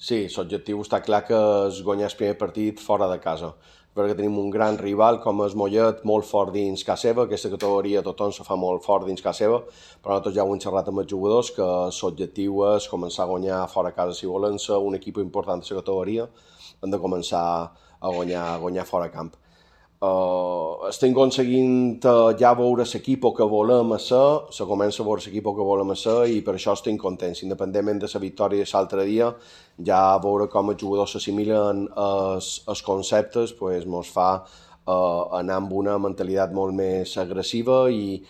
Sí, l'objectiu està clar que és guanyar el primer partit fora de casa, perquè tenim un gran rival com és Mollet, molt fort dins casa seva, aquesta categoria tothom se fa molt fort dins casa seva, però nosaltres ja ho hem xerrat amb els jugadors que l'objectiu és començar a guanyar fora de casa. Si volen ser un equip important de la categoria, hem de començar a guanyar fora de camp. Estem aconseguint ja veure l'equip que volem ser, se comença a veure l'equip que volem ser i per això estem contents. Independentment de la victòria de l'altre dia, ja veure com els jugadors s'assimilen els conceptes pues, ens fa anar amb una mentalitat molt més agressiva i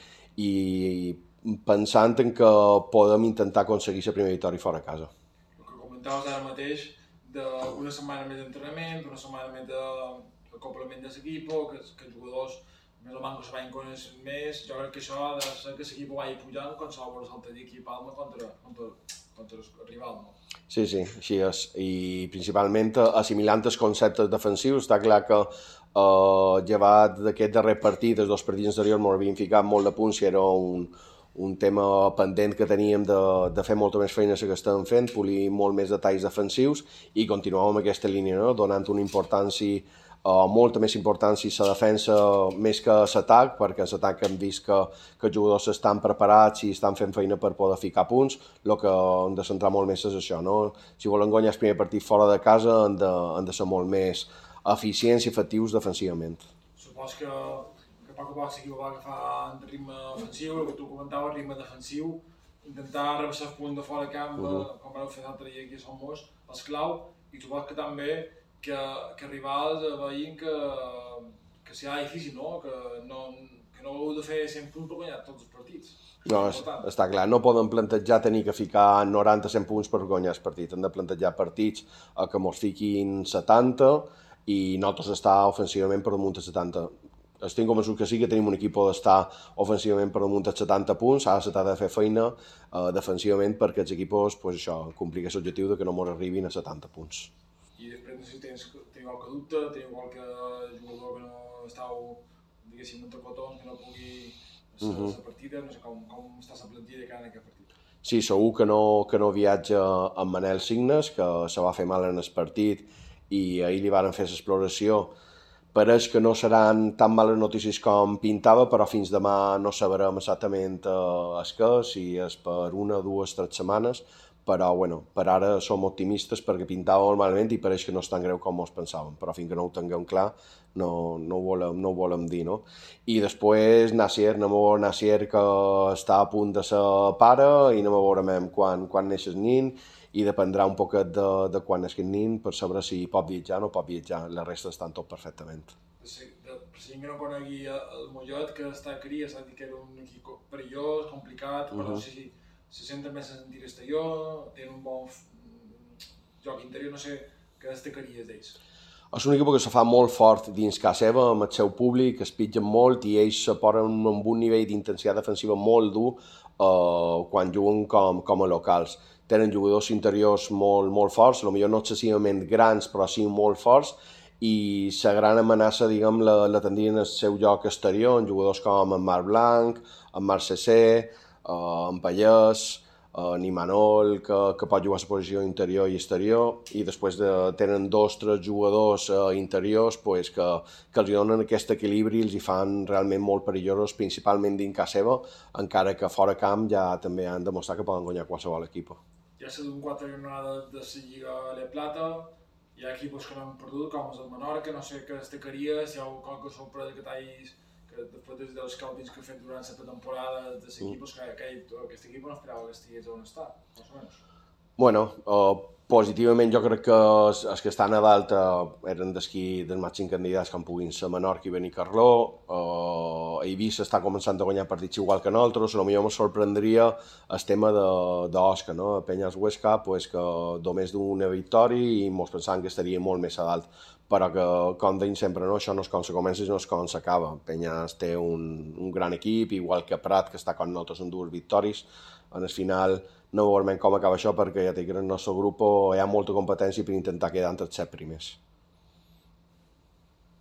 pensant en que podem intentar aconseguir la primera victòria fora a casa. El que comentaves ara mateix, d'una setmana més d'entrenament, d'una setmana més d'acoplament de l'equip, que els jugadors més o menys se vagin conèixer més, jo crec que això ha de ser que l'equip vagi pujant quan s'ha de l'altre dia aquí a Palma contra el rival, no? Sí, així és. I principalment assimilant els conceptes defensius, està clar que llevat d'aquest darrer partit, els dos partits anteriors m'ho havien ficat molt de punts i era un tema pendent que teníem de fer molta més feina que estem fent, polir molt més detalls defensius i continuar amb aquesta línia, no? Donant una importància, molta més importància a la defensa més que a l'atac, perquè a l'atac hem vist que els jugadors estan preparats i estan fent feina per poder ficar punts. El que hem de centrar molt més és això, no? Si volen guanyar el primer partit fora de casa han de ser molt més eficients i efectius defensivament. Supos que a poc l'equip va agafar el ritme ofensiu, el que tu comentaves, ritme defensiu, intentar rebaixar el punt de fora de camp, com vau fer l'altre dia aquí a Somos, és clau, i supos que també que rivals veïn que serà difícil, no? Que no heu de fer 100 punts per guanyar tots els partits. No, està clar, no poden plantejar tenir que ficar 90-100 punts per guanyar el partit. Hem de plantejar partits que mos fiquin 70 i nosaltres estar ofensivament per damunt de 70. Estic convençut que sí que tenim un equip d'estar ofensivament per damunt de 70 punts, ara s'ha de fer feina defensivament perquè els equips pues, això, complir aquest objectiu de que no mos arribin a 70 punts. I després no sé si teniu qualque dubte, teniu qualque jugador que no estàu, diguéssim, entre cotons, que no pugui la partida, no sé com està la plantilla de cara a aquest partit. Sí, segur que no viatja amb Manel Signes, que se va fer mal en el partit i ahir li van fer l'exploració. Pareix que no seran tan males notícies com pintava, però fins demà no sabrem exactament si és per 1, 2, 3 setmanes, però bueno, per ara som optimistes perquè pintava molt malament i pareix que no és tan greu com ens pensàvem, però fins que no ho tinguem clar no ho volem dir, no? I després Nacier, anem a veure Nacier que està a punt de ser pare i anem a veure quan neix el nin i dependrà un poquet de quan és aquest nin per saber si pot viatjar o no pot viatjar, la resta estan tot perfectament. Per si no conegui el Mollet, que està a cria, s'ha dit que era un equip perillós, complicat, però si se senten més en tir exterior, tenen un bon joc interior, no sé què destacaries d'ells. És un equip que se fa molt fort dins casa seva, amb el seu públic, es pitgen molt i ells se posen amb un nivell d'intensitat defensiva molt dur quan juguen com a locals. Tenen jugadors interiors molt forts, potser no excessivament grans, però sí molt forts, i la gran amenaça, diguem, la tindrien al seu joc exterior, amb jugadors com en Marc Blanc, en Marc Cessé, en Pallès, en Imanol, que pot jugar a la posició interior i exterior, i després tenen 2 o 3 jugadors interiors pues, que els donen aquest equilibri i els hi fan realment molt perillosos, principalment dins casa seva, encara que fora camp ja també han demostrat que poden guanyar qualsevol equip. Ja s'ha donat 4 jornades de la Lliga de Plata, hi ha equips que no han perdut, com és el Menorca, no sé què destacaria, si hi ha qualque sorpresa que t'hagis que després dels scoutings que he fet durant la temporada de l'equip, que aquest equip no esperava que estigués on està, més o menys. Bueno, positivament jo crec que els que estan a dalt eren dels màxims candidats com puguin ser Menorca i Benicarló. Eivissa està començant a guanyar partits igual que nosaltres, potser em sorprendria el tema d'Osca, no? Penyes Huesca, pues, que només d'una victòria i ens pensàvem que estaria molt més a dalt, però que, com deim sempre, no? Això no és com se comença, no és com s'acaba. Penyes té un gran equip, igual que Prat, que està com nosaltres amb 2 victòries. En el final no veurem com acaba això perquè ja dic que en el nostre grup hi ha molta competència per intentar quedar entre els 7 primers.